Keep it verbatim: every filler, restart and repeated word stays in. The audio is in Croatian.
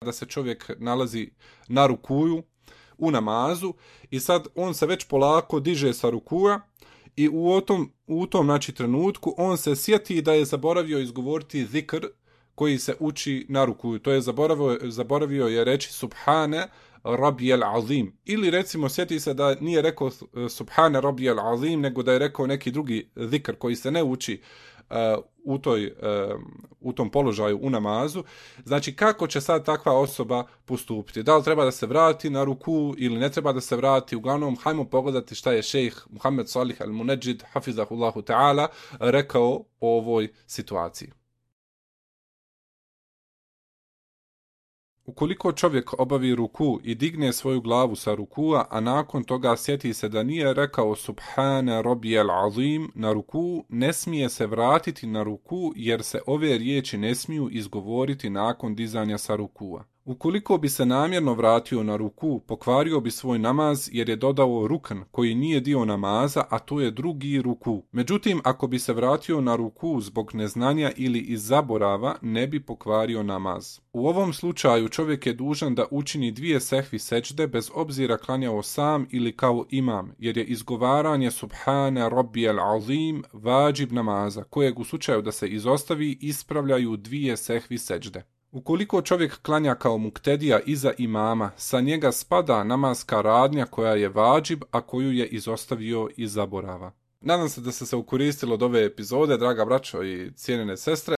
da se čovjek nalazi na rukuju u namazu i sad on se već polako diže sa rukuja i u tom, u tom znači, trenutku on se sjeti da je zaboravio izgovoriti zikr koji se uči na rukuju. To je zaboravio, zaboravio je reći subhane Rabbijel Azim. Ili recimo sjeti se da nije rekao subhane Rabbijel Azim, nego da je rekao neki drugi zikr koji se ne uči uh, u, toj, uh, u tom položaju u namazu. Znači kako će sad takva osoba postupiti? Da li treba da se vrati na ruku ili ne treba da se vrati? Uglavnom, hajmo pogledati šta je šejh Muhammed Salih al-Munajjid, hafizahullahu ta'ala, rekao o ovoj situaciji. Ukoliko čovjek obavi ruku i digne svoju glavu sa rukua, a nakon toga sjeti se da nije rekao subhane Rabbijel Azim na ruku, ne smije se vratiti na ruku jer se ove riječi ne smiju izgovoriti nakon dizanja sa rukua. Ukoliko bi se namjerno vratio na ruku, pokvario bi svoj namaz jer je dodao rukn koji nije dio namaza, a to je drugi ruku. Međutim, ako bi se vratio na ruku zbog neznanja ili iz zaborava, ne bi pokvario namaz. U ovom slučaju čovjek je dužan da učini dvije sehvi sećde bez obzira klanjao sam ili kao imam, jer je izgovaranje subhane Rabbijel Azim vađib namaza, kojeg u slučaju da se izostavi ispravljaju dvije sehvi sećde. Ukoliko čovjek klanja kao muktedija iza imama, sa njega spada namaska radnja koja je vađib, a koju je izostavio iz zaborava. Nadam se da ste se ukoristili od ove epizode, draga braćo i cijenjene sestre.